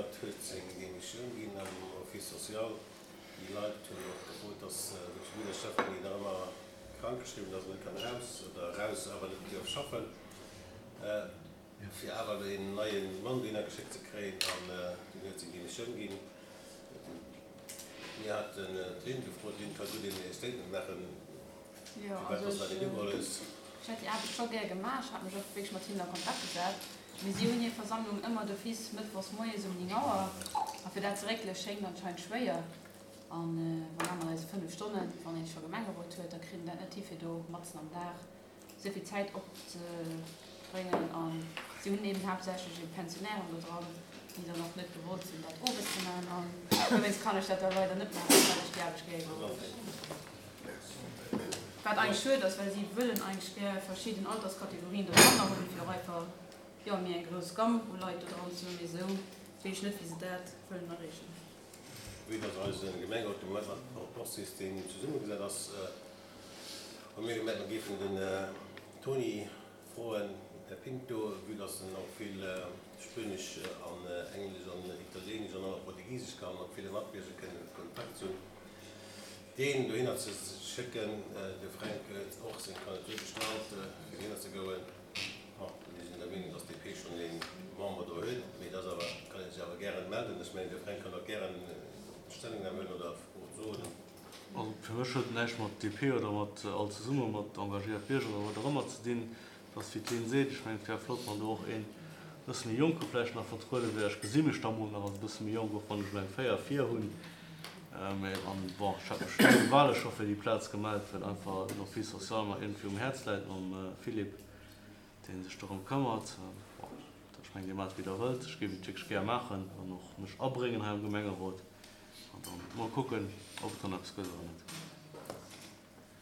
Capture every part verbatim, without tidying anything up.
Konrad huet seng Demissioun ginn am Office social. Déi Leit hunn och gefrot, dass de Schmidder Stéphanie nach ëmmer krankgeschriwwen ass an net kann eraus, oder eraus, awer net dierf schaffen, fir awer een neie Mann dohinner geschéckt ze kréien. An dunn huet seng Demissioun ginn. Mir haten d'Lynn gefrot. D'Lynn ka gutt een Statement maachen, Jo, firwat also dass dat ech een ugeholl hues. Ech hätt déi Aarbecht scho gär gemaach. Ech hat mech och wierklech mat hinnen a Kontakt gesat. Mee si hunn hir Versammlung ëmmer d'office mëttwochs moies um néng Auer. A fir dat ze réckele schéngt anscheinend schwéier. A wann aner eise fënnef Stonnen, wann een scho Gemengerot huet, da kritt een dat net hi fir do matzen am Dag esou vill Zäit opzebréngen. A si hunn eben haaptsächlech eben Pensionnairen do dran, déi dann och net gewollt sinn, dat owes ze maachen. An dowéinst kann ech dat da leider net maachen, well ech déi Aarbecht gär iwwerholl hunn. Wat eigentlech schued ass, well si wëllen eigentlech gär verschidden Alterskategorien do dranner hunn, fir och einfach, jo, méi eng grouss Gamme u Leit do dran ze hunn. Mee esou weess ech net, wéi se dat wëllen erreechen. Vue dass eise Gemengerot de Moment mat Rapportsystem zesummegesat ass, hu mir gemengt, mer géifen den Toni froen, Här Pinto, vue dass en och vill Spuenesch an Englesch an Italieenesch an och nach Portugisesch kann, mat ville Matbierger kënnen a Kontakt sinn, deen dohinner ze schécken. De Fränk huet och seng Kandidatur gestallt, fir dohinner ze goen. Bon, mir sinn der Meenung, dass d'DP schonn ee Member do huet, mee dat ass awer, kann ee sech awer gären melden. Ech mengen, de Fränk kann och gären Stellungnam huelen oder soen. Also fir mech huet et näischt mat D P oder mat All Zesumme, mat engagéiert Bierger oder wat och ëmmer ze dinn. Et ass wéi d'Lynn seet, ech mengen et wär flott, wann do och een e bësse méi Jonke vläicht nach vertruede wär. Ech gesi mech da mol nach als e bësse méi jonk, och wann ech elo eng véier vir hunn. Mee an bon, ech hat mech no de Wale scho fir déi Plaz gemellt, well einfach den Office social mer iergendwéi um Häerz läit mam Philippe, dee sech dorëm këmmert. Bon, ech mengen, Dir maacht wéi Der wëllt. Ech géif et wierklech gär maachen an och mech abréngen hei am Gemengerot an dann mol kucken, ob et dann eppes gëtt oder net.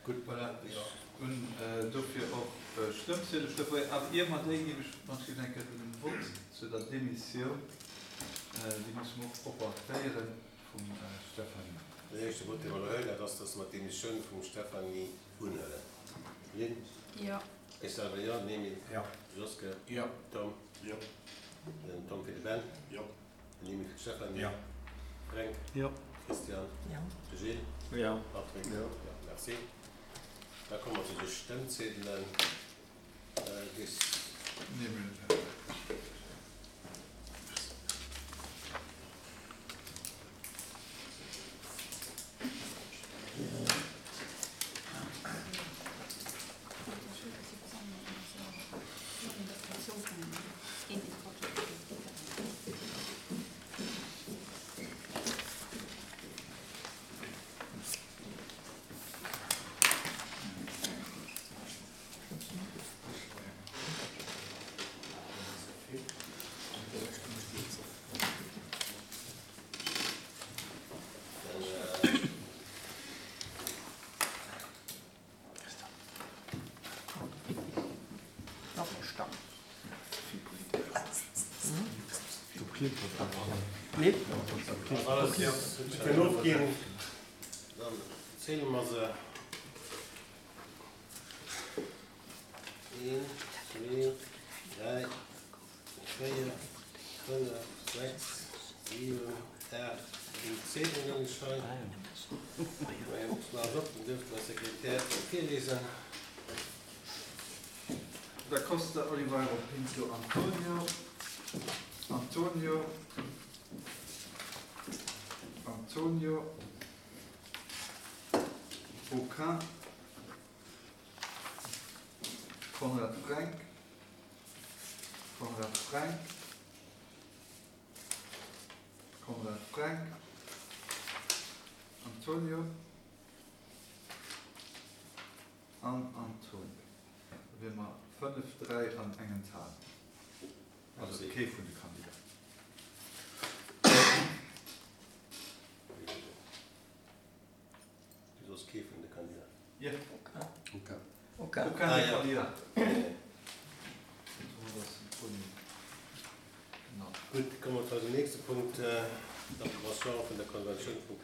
Gutt, voilà, ech hunn dofir och Stëmmziedel. Stefanie, awer ier mer déi ginn, ech wann eng Kéier den Vott zu der Demissioun, déi musse mer och propper féieren, vum Stéphanie. Den éischte Vott, dee mer elo huelen, dat ass, dass mer d'Demissioun vum Stéphanie unhuelen. Lynn? Jo. Ech selwer jo. Nemi? Jo. Joske? Jo. Tom? Jo. Den Tom fir de Ben? Jo. Den Nemi fir d'Stéphanie? Jo. Fränk? Jo. Christian? Jo. De Gilles? Jo. Patrick? Jo. Jo, merci. Da komme mer zu de Stëmmziedelen. Bis. Nemi. Kënn ofginn, dann zéile mer se. Een, zwee, dräi, véier, fënnef, sechs, siwen, aacht, néng Ziedelen hunn ech hei. Ech maachen op, dann dierft den Här Sekretär virliesen. Da Costa Oliveira Pinto Antonio, Antonio, Antonio, Aucun, Konrad Fränk, Konrad Fränk, Konrad Fränk, Antonio an Antonio. Da wiere mer fënnef, dräi an eng Enthalung. Also kee vun de Kandidaten. Du soss kee vun de Kandidaten? Jo. Aucun. Aucun. Aucun Ah, des ja. Kandidaten. Genau. Gutt, komme mer zu eisem nächste Punkt, d'Approbation vun der Konventioun vum